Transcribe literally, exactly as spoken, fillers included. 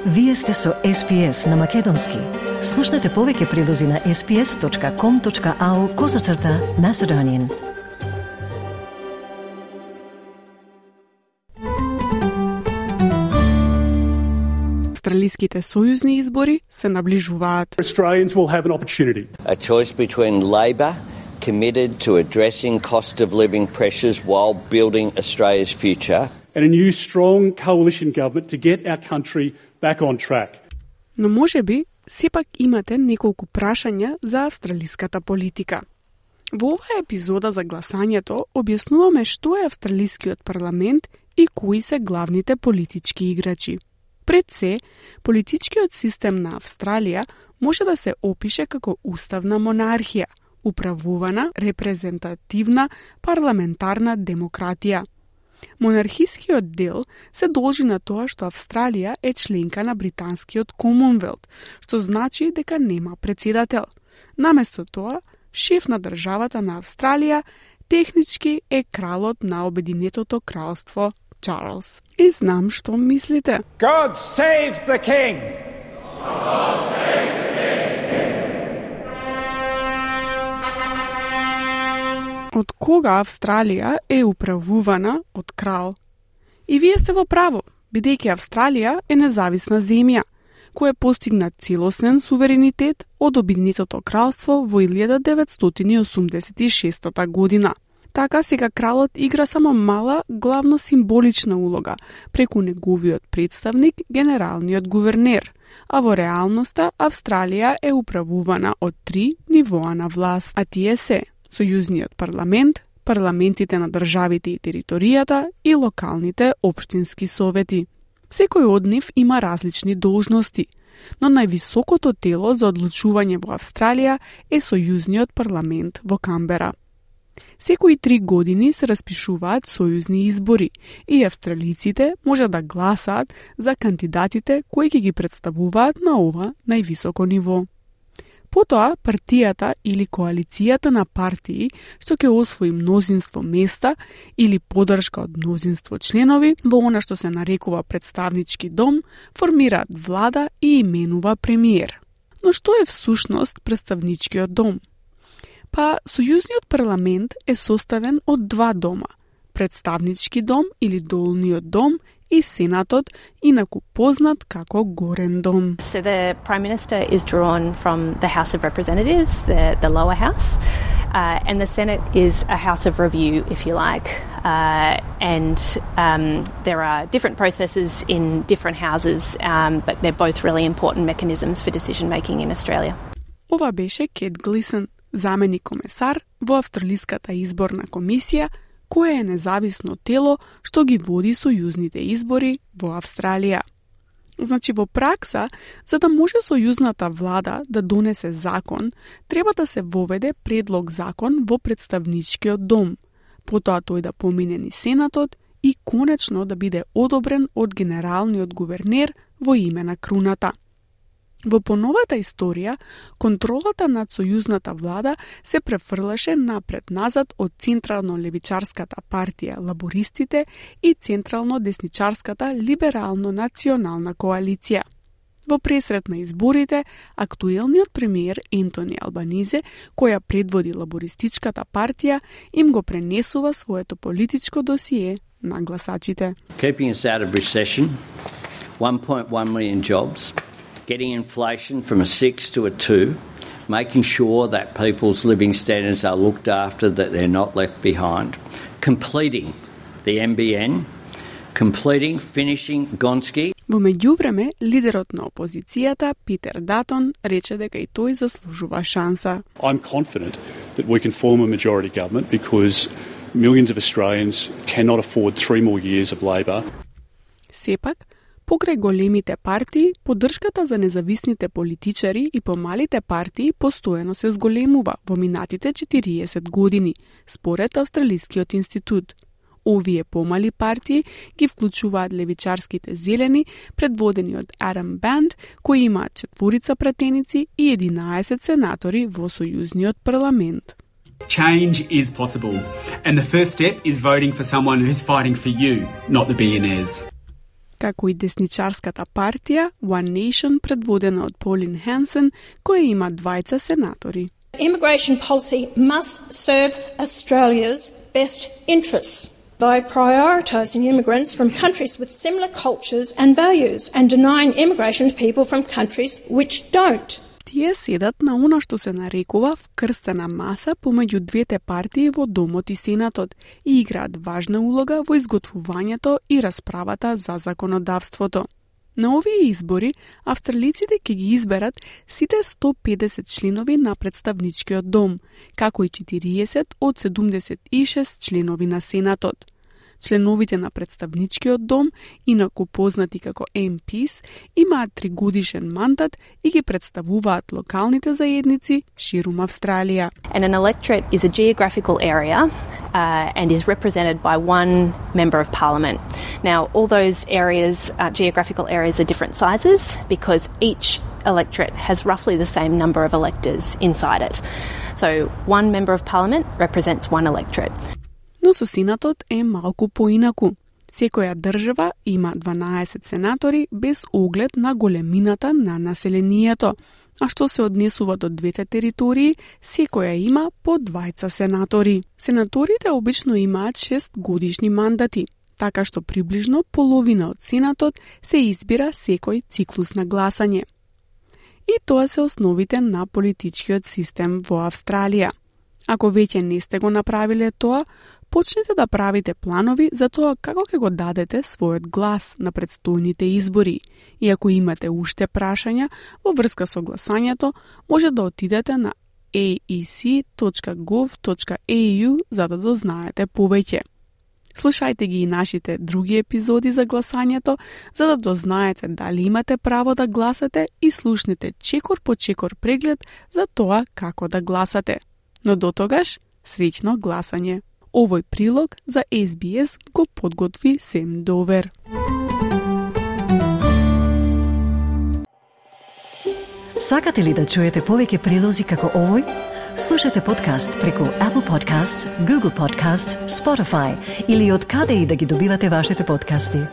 Вие сте со Ес Пи Ес на Македонски. Слушнете повеќе прилози на ес пи ес точка ком точка ау козацрта Macedonian. Австралиските сојузни избори се наближуваат. Australians will have an opportunity. A choice between Labor, committed to addressing cost of living pressures while building Australia's future, and a new strong coalition government to get our country back on track. Но можеби сепак имате неколку прашања за австралиската политика. Во оваа епизода за гласањето објаснуваме што е австралискиот парламент и кои се главните политички играчи. Пред се, политичкиот систем на Австралија може да се опише како уставна монархија, управувана, репрезентативна, парламентарна демократија. Монархискиот дел се должи на тоа што Австралија е членка на британскиот Комонвелт, што значи дека нема председател. Наместо тоа, шеф на државата на Австралија технички е кралот на Обединетото кралство Чарлс. И знам што мислите. God save the king! God save the Од кога Австралија е управувана од крал? И вие сте во право, бидејќи Австралија е независна земја, која постигна целосен суверенитет од Обединетото кралство во илјада деветстотини и осумдесет и шеста година. Така сега кралот игра само мала, главно символична улога преку неговиот представник, генералниот гувернер, а во реалноста Австралија е управувана од три нивоа на власт, а тие се Сојузниот парламент, парламентите на државите и територијата и локалните општински совети. Секој од нив има различни должности, но највисокото тело за одлучување во Австралија е Сојузниот парламент во Камбера. Секои три години се распишуваат сојузни избори и австралиците може да гласаат за кандидатите кои ќе ги представуваат на ова највисоко ниво. Потоа, партијата или коалицијата на партии што ќе освои мнозинство места или подршка од мнозинство членови во она што се нарекува представнички дом, формираат влада и именува премиер. Но што е всушност представничкиот дом? Па, Сојузниот парламент е составен од два дома – представнички дом или долниот дом и Сенатот, инаку познат како Горен дом. So the Prime Minister is drawn from the House of Representatives, the, the lower house, uh, and the Senate is a house of review, if you like. Uh, and um, there are different processes in different houses, um, but they're both really important mechanisms for decision-making in Australia. Ова беше Кет Глисън, заменик комесар во Австралиската изборна комисија, кое е независно тело што ги води сојузните избори во Австралија. Значи, во пракса, за да може сојузната влада да донесе закон, треба да се воведе предлог закон во представничкиот дом, потоа тој да помине низ Сенатот и конечно да биде одобрен од генералниот гувернер во име на круната. Во поновата историја, контролата над сојузната влада се префрлаше напред-назад од централно-левичарската партија Лабористите и централно-десничарската Либерално-национална коалиција. Во пресрет на изборите, актуелниот премиер Ентони Албанизе, која предводи Лабористичката партија, им го пренесува своето политичко досие на гласачите. Keeping us out of recession, one point one million jobs, getting inflation from a six to a two, making sure that people's living standards are looked after, that they're not left behind, completing the N B N, completing, finishing Gonski. Во меѓувреме, лидерот на опозицијата, Питер Датон, рече дека и тој заслужува шанса. I'm confident that we can form a majority government because millions of Australians cannot afford three more years of Labor. Сепак, покрај големите партии, поддршката за независните политичари и помалите партии постојано се зголемува во минатите четириесет години, според Австралискиот институт. Овие помали партии ги вклучуваат левичарските зелени, предводени од Адам Банд, кои имаат четворица пратеници и единаесет сенатори во Сојузниот парламент. Change is possible, and the first step is voting for someone who's fighting for you, not the billionaires. како и десничарската партија One Nation предводена од Pauline Hanson, која има двајца сенатори. Immigration policy must serve Australia's best interests by prioritising immigrants from countries with similar cultures and values and denying immigration to people from countries which don't. Тие седат на она што се нарекува вкрстена маса помеѓу двете партии во Домот и Сенатот и играат важна улога во изготвувањето и расправата за законодавството. На овие избори, австралиците ќе ги изберат сите сто педесет членови на представничкиот дом, како и четириесет од седумдесет и шест членови на Сенатот. Членовите на представничкиот дом, инаку познати како Ем Пис, имаат тригодишен мандат и ги представуваат локалните заедници ширум Австралија. And an electorate is a geographical area uh, and is represented by one member of parliament. Now, all those areas, uh, geographical areas, are different sizes because each electorate has roughly the same number of electors inside it. So, one member of parliament represents one electorate. Но со Сенатот е малку поинаку. Секоја држава има дванаесет сенатори без оглед на големината на населението, а што се однесува до двете територии, секоја има по двајца сенатори. Сенаторите обично имаат шест годишни мандати, така што приближно половина од Сенатот се избира секој циклус на гласање. И тоа се основите на политичкиот систем во Австралија. Ако веќе не сте го направиле тоа, почнете да правите планови за тоа како ќе го дадете својот глас на предстојните избори. И ако имате уште прашања во врска со гласањето, може да отидете на a e c точка gov точка a u за да дознаете повеќе. Слушајте ги и нашите други епизоди за гласањето, за да дознаете дали имате право да гласате и слушнете чекор по чекор преглед за тоа како да гласате. Но до тогаш, среќно гласање. Овој прилог за Ес Би Ес го подготви Сем Довер. Сакате ли да чуете повеќе прилози како овој? Слушате подкаст преку Apple Podcasts, Google Podcasts, Spotify или од каде и да ги добивате вашите подкасти.